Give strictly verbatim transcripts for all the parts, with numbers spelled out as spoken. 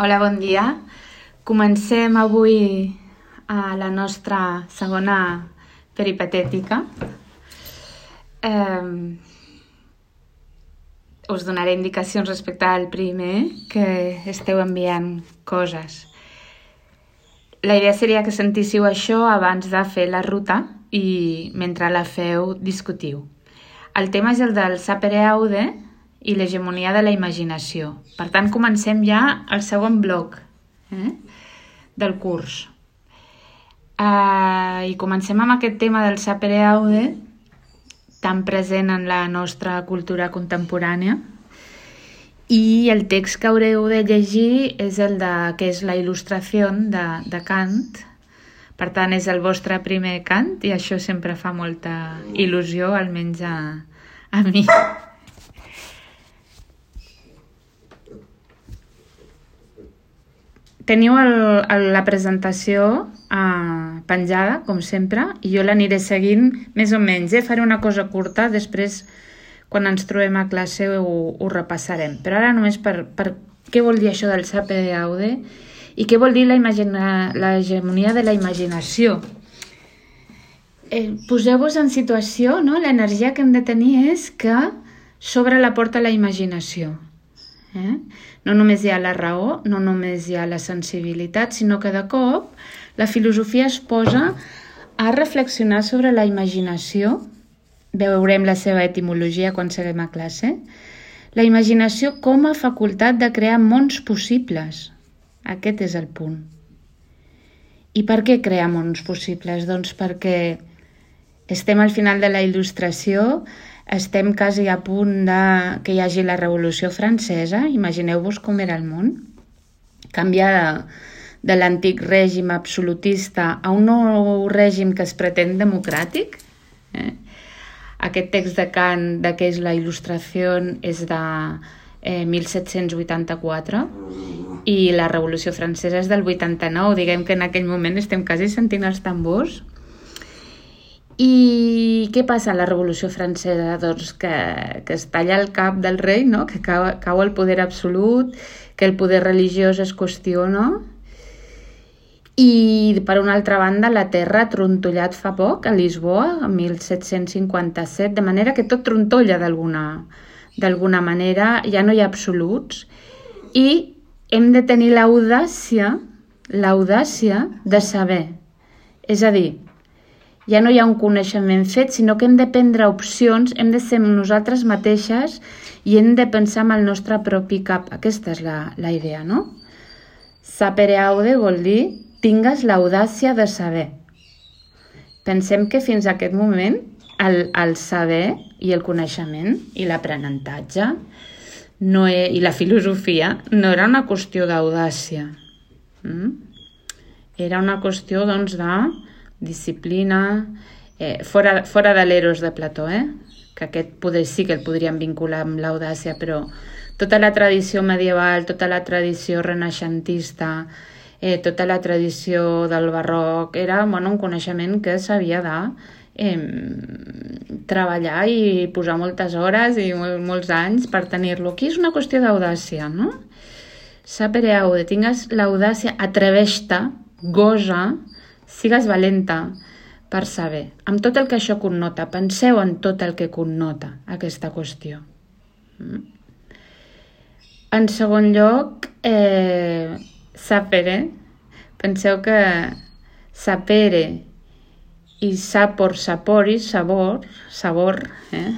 Hola, bon dia. Comencem avui a la nostra segona peripatètica. Eh, us donaré indicacions respecte al primer, que esteu enviant coses. La idea seria que sentíssiu això abans de fer la ruta i mentre la feu discutiu. El tema és el del sapere aude i l'hegemonia de la imaginació. Per tant, comencem ja el segon bloc eh, del curs. Uh, I comencem amb aquest tema del sapere aude, tan present en la nostra cultura contemporània. I el text que haureu de llegir és el de, que és la il·lustració de, de Kant. Per tant, és el vostre primer Kant i això sempre fa molta il·lusió, almenys a, a mi. Teniu el, el, la presentació eh, penjada, com sempre, i jo l'aniré seguint més o menys. Eh? Faré una cosa curta, després, quan ens trobem a classe, ho, ho repassarem. Però ara només per, per què vol dir això del sapere aude i què vol dir la, imagina, la hegemonia de la imaginació. Eh, Poseu-vos en situació, no? L'energia que hem de tenir és que s'obre la porta a la imaginació. Eh? No només hi ha la raó, no només hi ha la sensibilitat, sinó que de cop la filosofia es posa a reflexionar sobre la imaginació. Veurem la seva etimologia quan seguim a classe. La imaginació com a facultat de crear mons possibles. Aquest és el punt. I per què crear mons possibles? Doncs perquè estem al final de la il·lustració, estem quasi a punt de que hi hagi la Revolució Francesa. Imagineu-vos com era el món. Canviar de, de l'antic règim absolutista a un nou règim que es pretén democràtic. Eh? Aquest text de Kant, de què és la il·lustració, és de eh, mil set-cents vuitanta-quatre i la Revolució Francesa és del vuitanta-nou. Diguem que en aquell moment estem quasi sentint els tambors. I què passa a la Revolució Francesa? Doncs que, que es talla el cap del rei, no? Que cau, cau el poder absolut, que el poder religiós es qüestiona. I per una altra banda la terra ha trontollat fa poc a Lisboa, en mil set-cents cinquanta-set, de manera que tot trontolla d'alguna d'alguna manera, ja no hi ha absoluts i hem de tenir l'audàcia, l'audàcia de saber. És a dir, ja no hi ha un coneixement fet, sinó que hem de prendre opcions, hem de ser nosaltres mateixes i hem de pensar amb el nostre propi cap. Aquesta és la, la idea, no? Sapere aude vol dir tingues l'audàcia de saber. Pensem que fins a aquest moment el, el saber i el coneixement i l'aprenentatge no he, i la filosofia no era una qüestió d'audàcia. Mm? Era una qüestió, doncs, de disciplina, eh, fora, fora de l'eros de Plató, eh? Que aquest poder sí que el podríem vincular amb l'audàcia, però tota la tradició medieval, tota la tradició renaixentista, eh, tota la tradició del barroc, era bueno, un coneixement que s'havia de eh, treballar i posar moltes hores i mol, molts anys per tenir-lo. Aquí és una qüestió d'audàcia, no? Sapere aude, tingues l'audàcia, atreveix-te, gosa, sigues valenta per saber, amb tot el que això connota. Penseu en tot el que connota aquesta qüestió. En segon lloc, eh, sapere. Penseu que sapere i sapor, saporis, sabor, sabor, eh,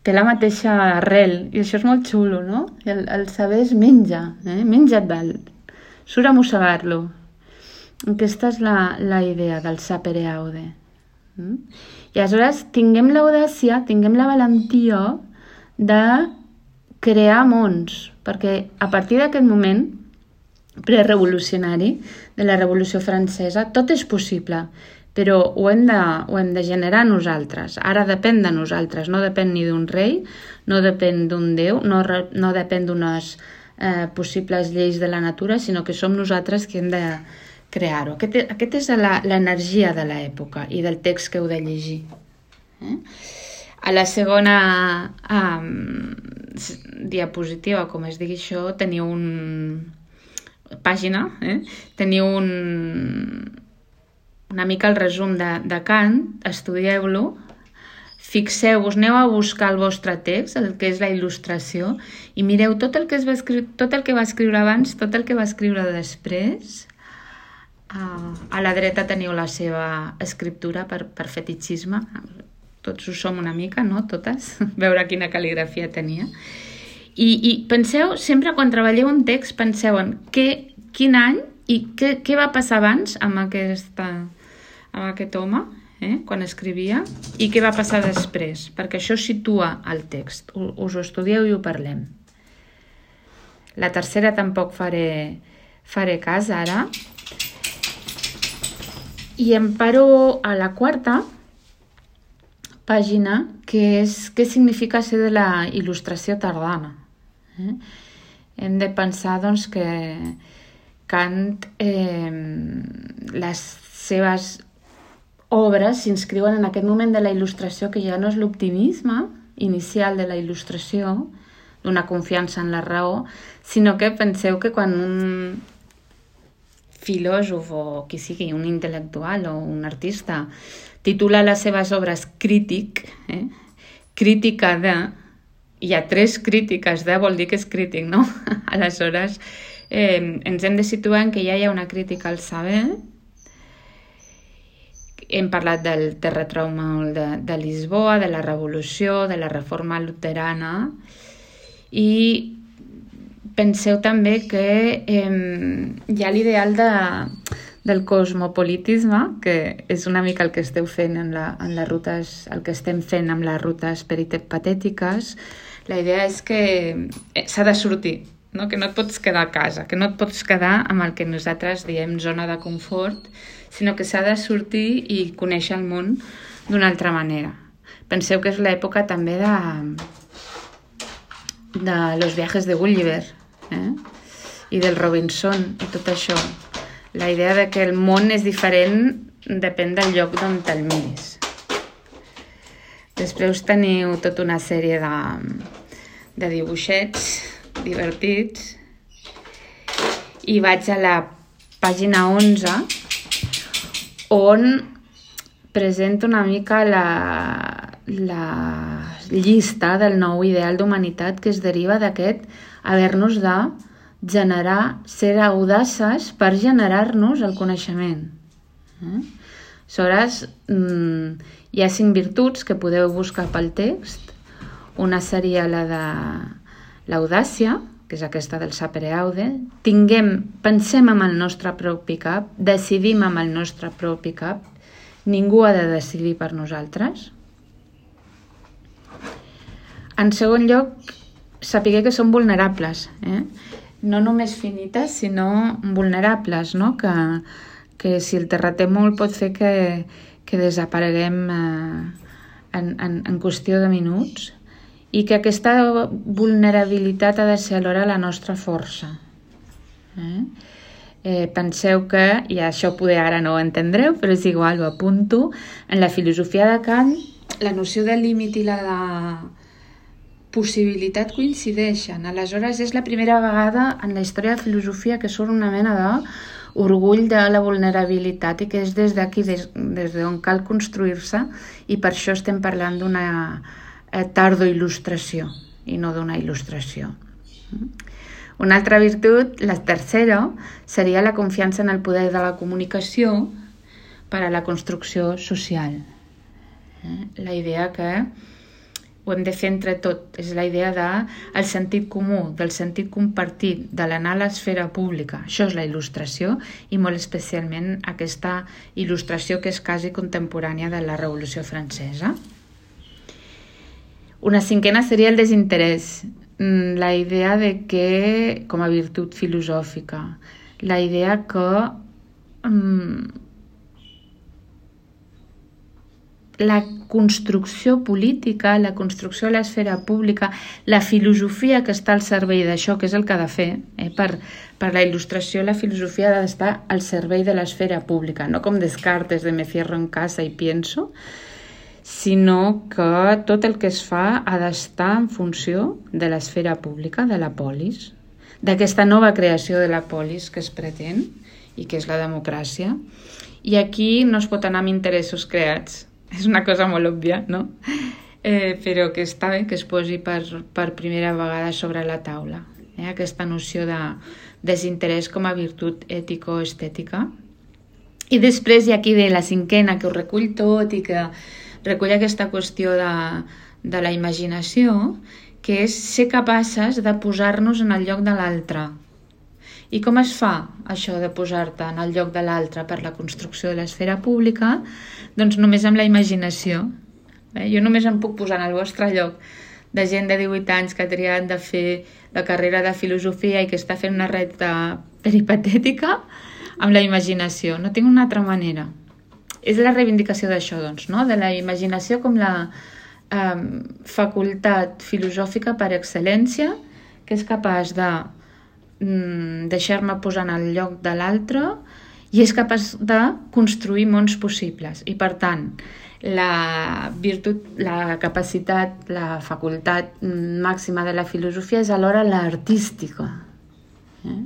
té la mateixa arrel, i això és molt xulo, no? El, el saber és menja, eh? Menja't dalt, surt a mossegar-lo. Aquesta és la, la idea del sapere aude. Mm? I aleshores tinguem l'audàcia, tinguem la valentia de crear mons, perquè a partir d'aquest moment prerevolucionari de la Revolució Francesa tot és possible, però ho hem de, ho hem de generar nosaltres. Ara depèn de nosaltres, no depèn ni d'un rei, no depèn d'un déu, no, no depèn d'unes eh, possibles lleis de la natura, sinó que som nosaltres que hem de crear-ho. Aquest, aquest és l'energia de l'època i del text que heu de llegir. Eh? A la segona um, diapositiva, com es digui això, teniu un, pàgina, eh? teniu un, una mica el resum de, de Kant, estudieu-lo, fixeu-vos, aneu a buscar el vostre text, el que és la il·lustració, i mireu tot el que, es va escriure, tot el que va escriure abans, tot el que va escriure després. A la dreta teniu la seva escriptura per, per fetichisme, tots ho som una mica, no? Totes, veure quina cal·ligrafia tenia. I, i penseu, sempre quan treballeu un text, penseu en què, quin any i què, què va passar abans amb, aquesta, amb aquest home, eh, quan escrivia, i què va passar després, perquè això situa el text. Us ho estudieu i ho parlem. La tercera tampoc faré, faré cas ara. I em paro a la quarta pàgina, que és què significa ser de la il·lustració tardana. Eh? Hem de pensar doncs, que Kant, eh, les seves obres s'inscriuen en aquest moment de la il·lustració que ja no és l'optimisme inicial de la il·lustració, d'una confiança en la raó, sinó que penseu que quan un filòsof o qui sigui, un intel·lectual o un artista, titula les seves obres crític, eh? crítica de, hi ha tres crítiques de, vol dir que és crític, no? Aleshores, eh, ens hem de situar en que ja hi ha una crítica al saber. Hem parlat del terratrèmol de, de Lisboa, de la revolució, de la reforma luterana, i penseu també que eh, hi ha l'ideal de, del cosmopolitisme, que és una mica el que esteu fent en, la, en les rutes, el que estem fent amb les rutes peripatètiques. La idea és que s'ha de sortir, no? Que no et pots quedar a casa, que no et pots quedar amb el que nosaltres diem zona de confort, sinó que s'ha de sortir i conèixer el món d'una altra manera. Penseu que és l'època també de, de Los viajes de Gulliver, eh? i del Robinson i tot això. La idea de que el món és diferent depèn del lloc d'on te'l miris. Després teniu tota una sèrie de, de dibuixets divertits i vaig a la pàgina onze, on presento una mica la, la llista del nou ideal d'humanitat que es deriva d'aquest haver-nos de generar, ser audaces per generar-nos el coneixement. Eh? Aleshores, hi ha cinc virtuts que podeu buscar pel text. Una seria la de l'audàcia, que és aquesta del sapere aude. Tinguem, pensem amb el nostre propi cap, decidim amb el nostre propi cap. Ningú ha de decidir per nosaltres. En segon lloc, sapiguer que som vulnerables, eh? No només finites, sinó vulnerables, no? Que, que si el terratrèmol pot fer que, que desapareguem eh, en, en, en qüestió de minuts, i que aquesta vulnerabilitat ha de ser alhora la nostra força. Eh? Eh, penseu que, i això poder ara no ho entendreu, però és igual, ho apunto, en la filosofia de Kant, la noció de límit i la de possibilitat coincideixen. Aleshores, és la primera vegada en la història de filosofia que surt una mena d'orgull de la vulnerabilitat i que és des d'aquí, des, des d'on cal construir-se, i per això estem parlant d'una eh, tardo-il·lustració i no d'una il·lustració. Una altra virtut, la tercera, seria la confiança en el poder de la comunicació per a la construcció social. Eh? La idea que ho hem de fer entre tot. És la idea del sentit comú, del sentit compartit, de l'anar a l'esfera pública. Això és la il·lustració, i molt especialment aquesta il·lustració que és quasi contemporània de la Revolució Francesa. Una cinquena seria el desinterès. La idea de que, com a virtut filosòfica, la idea que um, la construcció política, la construcció de l'esfera pública, la filosofia que està al servei d'això, que és el que ha de fer, eh? per, per la il·lustració, la filosofia ha d'estar al servei de l'esfera pública, no com Descartes de me cierro en casa y pienso, sinó que tot el que es fa ha d'estar en funció de l'esfera pública, de la polis. d'aquesta nova creació de la polis que es pretén i que és la democràcia. I aquí no es pot anar amb interessos creats. És una cosa molt òbvia, no? Eh, però que està bé que es posi per, per primera vegada sobre la taula. Eh? Aquesta noció de desinterès com a virtut ètico-estètica. I després hi ha aquí ve la cinquena, que ho recull tot i que recull aquesta qüestió de, de la imaginació, que és ser capaces de posar-nos en el lloc de l'altre. I com es fa això de posar-te en el lloc de l'altre per la construcció de l'esfera pública? Doncs només amb la imaginació. Eh? Jo només em puc posar en el vostre lloc de gent de divuit anys que ha triat de fer la carrera de filosofia i que està fent una recta peripatètica amb la imaginació. No tinc una altra manera. És la reivindicació d'això, doncs, no? De la imaginació com la eh, facultat filosòfica per excel·lència, que és capaç de deixar-me posar en el lloc de l'altre i és capaç de construir mons possibles. I per tant, la virtut, la capacitat, la facultat màxima de la filosofia és alhora l'artística. Eh?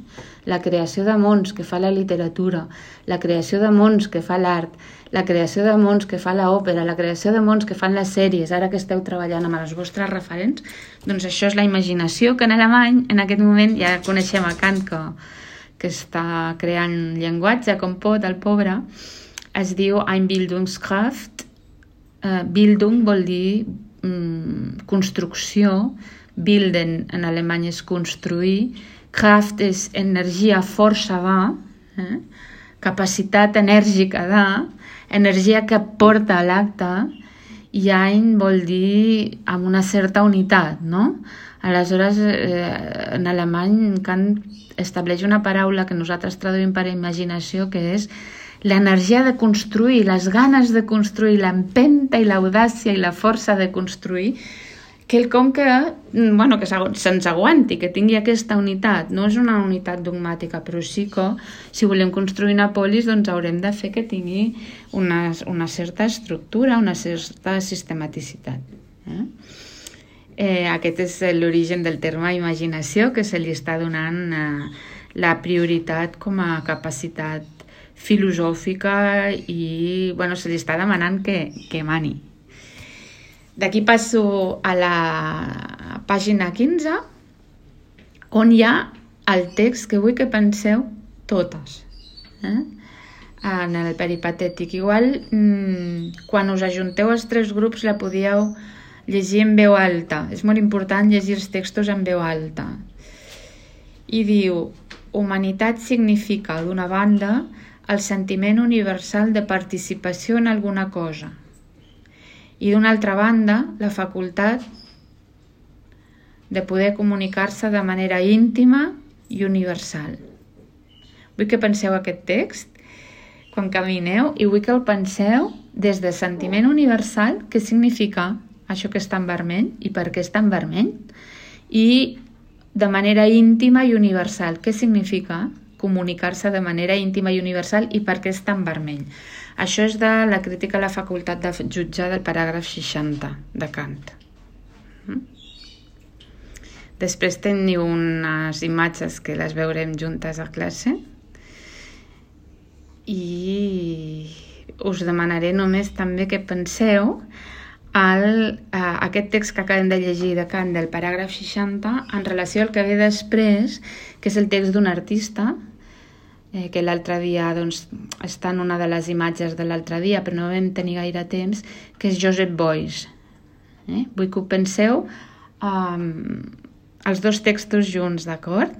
La creació de mons que fa la literatura, la creació de mons que fa l'art, la creació de mons que fa l'òpera, la creació de mons que fan les sèries, ara que esteu treballant amb els vostres referents, doncs això és la imaginació, que en alemany, en aquest moment, ja coneixem a Kant, que, que està creant llenguatge com pot, el pobre, es diu Einbildungskraft. Uh, Bildung vol dir um, construcció, bilden en alemany és construir, Kraft és energia, força de, eh? capacitat enèrgica de, energia que porta a l'acte, i Ein vol dir amb una certa unitat, no? Aleshores, eh, en alemany, Kant estableix una paraula que nosaltres traduïm per imaginació, que és l'energia de construir, les ganes de construir, l'empenta i l'audàcia i la força de construir, quelcom que, bueno, que se'ns aguanti, que tingui aquesta unitat. No és una unitat dogmàtica, però sí que si volem construir una polis doncs haurem de fer que tingui una, una certa estructura, una certa sistematicitat. Eh? Eh, aquest és l'origen del terme imaginació, que se li està donant eh, la prioritat com a capacitat filosòfica i bueno, se li està demanant que, que mani. D'aquí passo a la pàgina quinze, on hi ha el text que vull que penseu totes. Eh? En el peripatètic. Igual, mmm, quan us ajunteu els tres grups, la podíeu llegir en veu alta. És molt important llegir els textos en veu alta. I diu: humanitat significa, d'una banda, el sentiment universal de participació en alguna cosa. I d'una altra banda, la facultat de poder comunicar-se de manera íntima i universal. Vull que penseu aquest text quan camineu i vull que el penseu des de sentiment universal, què significa això que està en vermell i per què està en vermell, i de manera íntima i universal, què significa comunicar-se de manera íntima i universal i per què està en vermell. Això és de la crítica a la facultat de jutjar del paràgraf seixanta de Kant. Després teniu unes imatges que les veurem juntes a classe i us demanaré només també que penseu el, eh, aquest text que acabem de llegir de Kant del paràgraf seixanta en relació al que ve després, que és el text d'un artista, eh, que l'altre dia doncs, està en una de les imatges de l'altre dia, però no vam tenir gaire temps, que és Joseph Beuys. Eh? Vull que ho penseu um, els dos textos junts, d'acord?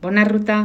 Bona ruta!